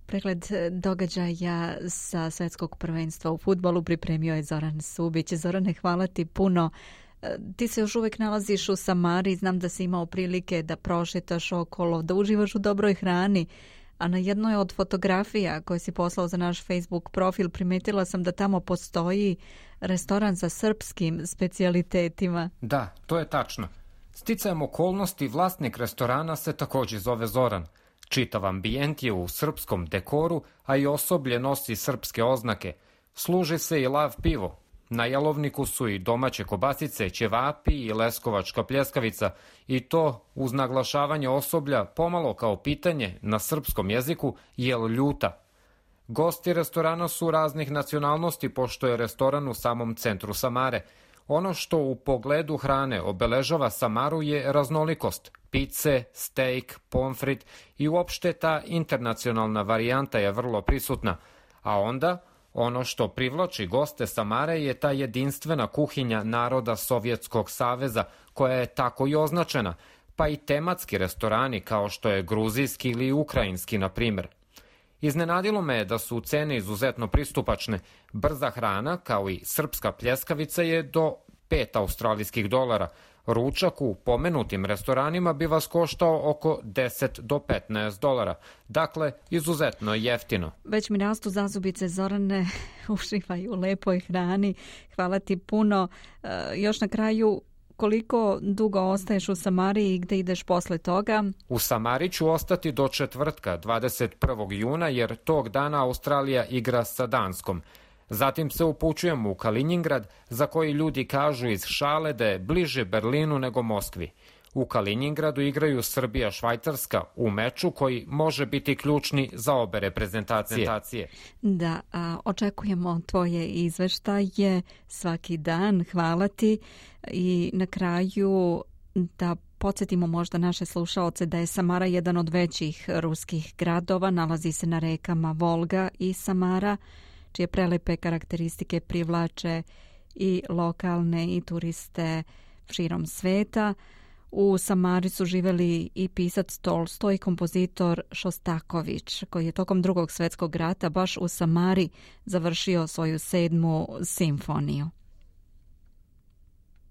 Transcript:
Pregled događaja sa svetskog prvenstva u fudbalu pripremio je Zoran Subić. Zorane, hvala ti puno. Ti se još uvijek nalaziš u Samari, znam da si imao prilike da prošetaš okolo, da uživaš u dobroj hrani, a na jednoj od fotografija koje si poslao za naš Facebook profil primetila sam da tamo postoji restoran sa srpskim specijalitetima. Da, to je tačno. Sticajem okolnosti vlasnik restorana se također zove Zoran. Čitav ambijent je u srpskom dekoru, a i osoblje nosi srpske oznake. Služi se i lav pivo. Na jelovniku su i domaće kobasice, ćevapi i leskovačka pljeskavica, i to uz naglašavanje osoblja pomalo kao pitanje na srpskom jeziku jel ljuta. Gosti restorana su raznih nacionalnosti, pošto je restoran u samom centru Samare. Ono što u pogledu hrane obeležava Samaru je raznolikost. Pice, steak, pomfrit i uopšte ta internacionalna varijanta je vrlo prisutna. A onda, ono što privlači goste Samare je ta jedinstvena kuhinja naroda Sovjetskog saveza, koja je tako i označena, pa i tematski restorani kao što je gruzijski ili ukrajinski, na primjer. Iznenadilo me je da su cene izuzetno pristupačne. Brza hrana, kao i srpska pljeskavica, je do $5. Ručak u pomenutim restoranima bi vas koštao oko $10 do $15. Dakle, izuzetno jeftino. Već mi rastu zazubice, Zorane, uživaj u lepoj hrani. Hvala ti puno. Još na kraju, koliko dugo ostaješ u Samari i gde ideš posle toga? U Samari ću ostati do četvrtka, 21. juna, jer tog dana Australija igra sa Danskom. Zatim se upućujem u Kalinjingrad, za koji ljudi kažu iz šale da je bliže Berlinu nego Moskvi. U Kalinjingradu igraju Srbija-Švajcarska u meču koji može biti ključni za obe reprezentacije. Da, očekujemo tvoje izveštaje svaki dan. Hvala ti. I na kraju da podsjetimo možda naše slušaoce da je Samara jedan od većih ruskih gradova. Nalazi se na rekama Volga i Samara, čije prelepe karakteristike privlače i lokalne i turiste širom sveta. U Samari su živeli i pisac Tolstoj i kompozitor Šostaković, koji je tokom Drugog svjetskog rata baš u Samari završio svoju 7. simfoniju.